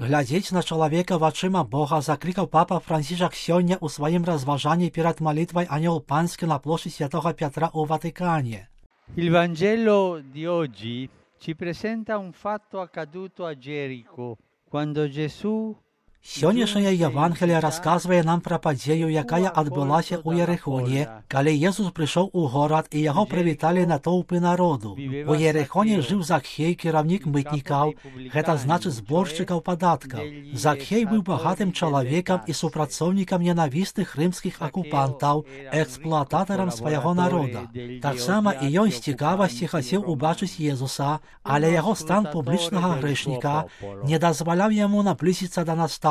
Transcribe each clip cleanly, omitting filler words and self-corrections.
Глядзець на чалавека вачыма Бога заклікаў папа Францішак сёння ў сваім разважанні перад малітвай Анёл Панскі на плошчы Святого Пятра ў Ватикане. Il Vangelo di oggi ci presenta un fatto accaduto a Gerico, quando Gesù Сённяшняя Евангелие расказвае нам пра падзею, якая адбылася ў Ерихоне, калі Езус прыйшоў у горад і яго прывіталі натоўпы народу. У Ерихоне жыў Закхей, кіраўнік мытнікаў, гэта значыць зборшчыкаў падаткаў. Закхей быў багатым чалавекам і супрацоўнікам ненавістых рымскіх акупантаў, эксплуататарам свайго народа. Таксама і ён з цікавасці хацеў убачыць Езуса, але яго стан публічнага грэшніка не дазваляў яму наблізіцца да настаўніка.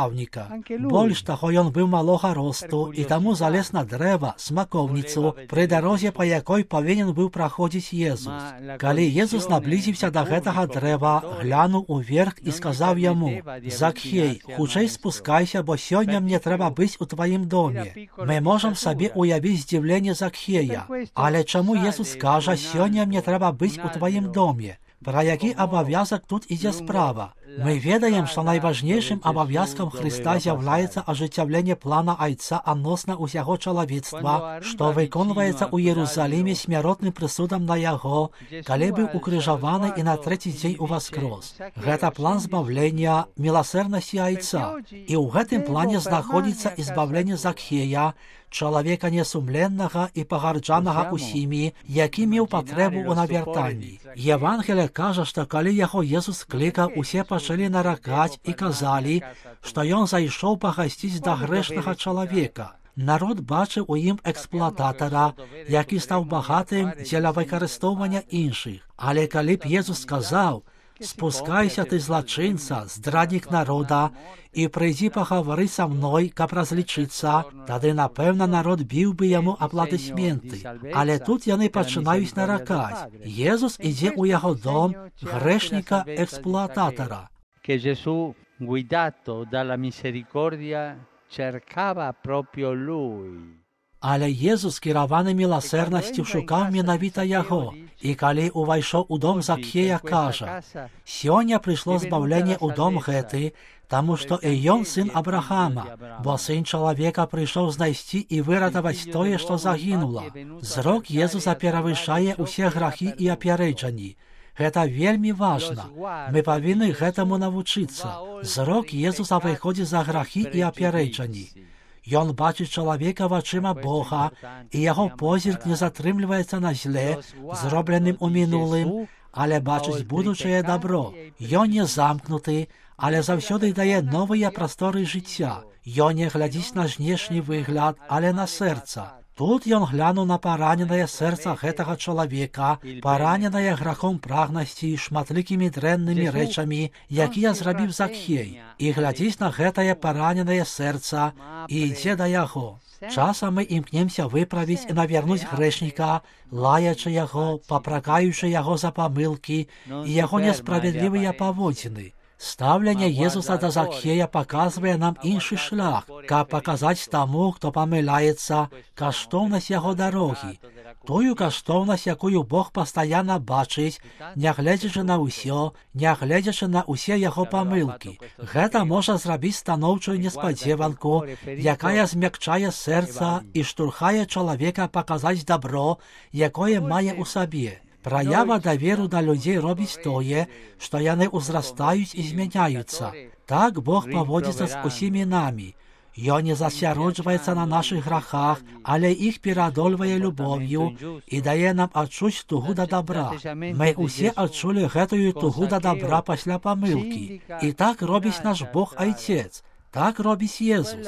Больш таго, ён быў малога росту і таму залез на дрэва, смакоўніцу, пры дарозе, па якой павінен быў праходзіць Езус. Калі Езус наблізіўся да гэтага дрэва, глянуў уверх і сказаў яму: «Закхей, хутчэй спускайся, бо сёння мне трэба быць у тваім доме». Мы можам сабе уявіць здзіўленне Закхея. Але чаму Езус кажа: «Сёння мне трэба быць у тваім доме»? Пра які абавязак тут ідзе справа? Мы ведаем, што найважнейшым абавязкам Хрыста з'яўляецца ажыццяўленне плана Айца адносна ўсяго чалавецтва, што выконваецца ў Іерусаліме смяротным прысудам на яго, калі быў укрыжаваны і на трэці дзень уваскрос. Гэта план збавлення, міласэрнасці Айца. І ў гэтым плане знаходзіцца і збавленне Закхея, чалавека несумленнага і пагарджанага усімі, які меў патрэбу ў навяртанні. Евангелие кажа, што калі яго Езус клікаў, усе пачалі наракаць і казалі, што ён зайшоў пагасціць да грэшнага чалавека. Народ бачыў у ім эксплуататара, які стаў багатым дзеля выкарыстоўвання іншых. Але калі б Езус сказаў: «Спускайся ты, злачынца, здраднік народа, і прыйдзі пагавары са мной, каб разлічыцца», тады, напэўна, народ біў бы яму апладысменты. Але тут яны пачынаюць наракаць. Езус ідзе ў яго дом грэшніка-эксплуататара. Che Gesù, guidato dalla misericordia, cercava proprio lui. Але Езус, кіраваны міласэрнасцю, шукаў менавіта яго. І калі увайшоў у дом Закхея, кажа: «Сёння прыйшло збаўленне ў дом гэты, таму што і ён сын Абрахама, бо сын чалавека прыйшоў знайсці і выратаваць тое, што загінула». Зрок Езуса перавышае ўсе грахі і апярэджанні. Гэта вельмі важна. Мы павінны гэтаму навучыцца. Зрок Езуса выходзіць за грахі і апярэджанні. Ён бачыць чалавека вачыма Бога, і яго позірк не затрымліваецца на зле, зробленым у мінулым, але бачыць будучае дабро. Ён не замкнуты, але заўсёды дае новыя прасторы жыцця. Ён не глядзіць на знешні выгляд, але на сэрца. Тут ён глянуў на параненае сэрца гэтага чалавека, параненае грахом прагнасці, шматлікімі дрэннымі рэчамі, якія зрабіў Закхей, і глядзіць на гэтае параненае сэрца і ідзе да яго. Часам мы імкнемся выправіць і навярнуць грэшніка, лаячы яго, папракаючы яго за памылкі і яго несправядлівыя паводзіны. Стаўленне Езуса да Закхея паказвае нам іншы шлях, каб паказаць таму, хто памыляецца, каштоўнасць яго дарогі. Тую каштоўнасць, якую Бог пастаянна бачыць, нягледзячы на ўсё, нягледзячы на ўсе яго памылкі. Гэта можа зрабіць станоўчую неспадзеванку, якая змякчае сэрца і штурхае чалавека паказаць дабро, якое мае ў сабе. Праява даверу да людзей робіць тое, што яны ўзрастаюць і змяняюцца. Так Бог паводзіцца з усімі намі. Ён не засяроджваецца на нашых грахах, але іх пераадольвае любоўю і дае нам адчуць тугу да дабра. Мы ўсе адчулі гэтую тугу да дабра пасля памылкі. І так робіць наш Бог Айцец. Так робіць Езус.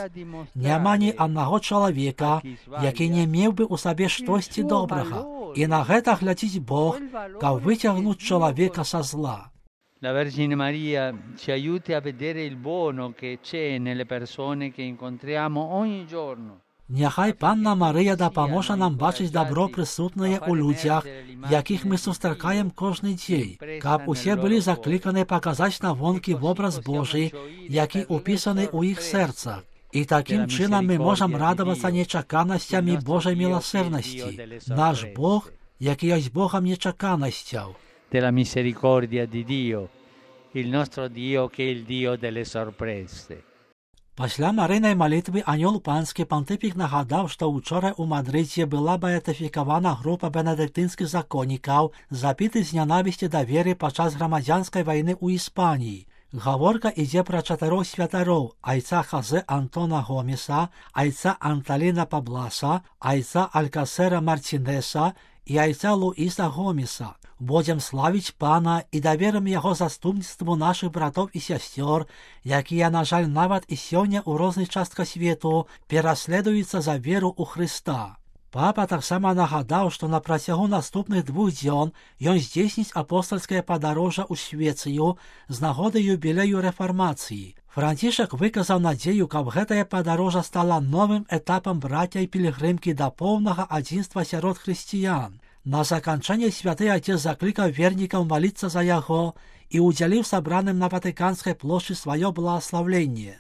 Няма ні аднаго чалавека, які не меў бы ў сабе штосьці добрага. І на гэта глядзіць Бог, каб выцягнуць чалавека са зла. La Vergine Maria ci aiuti a vedere il buono che c'è nelle persone che incontriamo ogni giorno. Няхай Панна Марыя дапаможа нам бачыць дабро прысутнае ў людзях, якіх мы сустракаем кожны дзень, каб усе былі закліканы паказаць на вонкі вобраз Божий, які ўпісаны ў іх сэрцах. І такім чынам мы можам радавацца нечаканасцямі Божай міласэрнасці. Наш Бог, які ёсць Богам нечаканасцяў. Della misericordia di Dio, il nostro Dio che è il Dio delle sorprese. Пасля марыйнай малітвы анёл панскі пантыфік нагадаў, што ўчора ў Мадрыдзе была беатыфікавана група бенедыктынскіх законнікаў, забітых з нянавісці да веры падчас грамадзянскай вайны ў Іспаніі. Гаворка ідзе пра 4 святароў: айца Хазе Антона Гомеса, айца Анталіна Пабласа, айца Алькасера Мартинеса і айца Луіса Гомеса. Будзем славіць Пана і даверым яго заступніцтву нашых братоў і сясцёр, якія, на жаль, нават і сёння ў розных частках свету пераследуюцца за веру ў Хрыста. Папа таксама нагадаў, што на працягу наступных 2 дзён ён здзейсніць апостальскае падарожжа ў Швецыю з нагоды юбілею рэфармацыі. Францішак выказаў надзею, каб гэтае падарожжа стала новым этапам брацця і пілігрымкі да поўнага адзінства сярод хрысціян. На заканчэнне святы Отец заклікаў вернікаў маліцца за яго і ўдзяліў сабраным на Ватыканскай плошчы сваё благаславленне.